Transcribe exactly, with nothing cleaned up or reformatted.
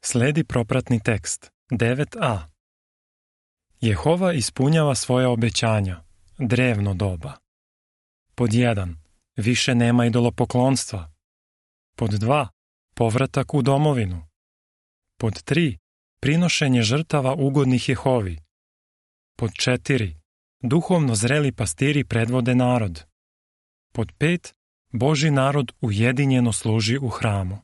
Sledi propratni tekst devet a. Jehova ispunjava svoja obećanja, drevno doba. Pod jedan. Više nema idolopoklonstva. Pod dva. Povratak u domovinu. Pod tri. Prinošenje žrtava ugodnih Jehovi. Pod četiri. Duhovno zreli pastiri predvode narod. Pod pet. Božji narod ujedinjeno služi u hramu.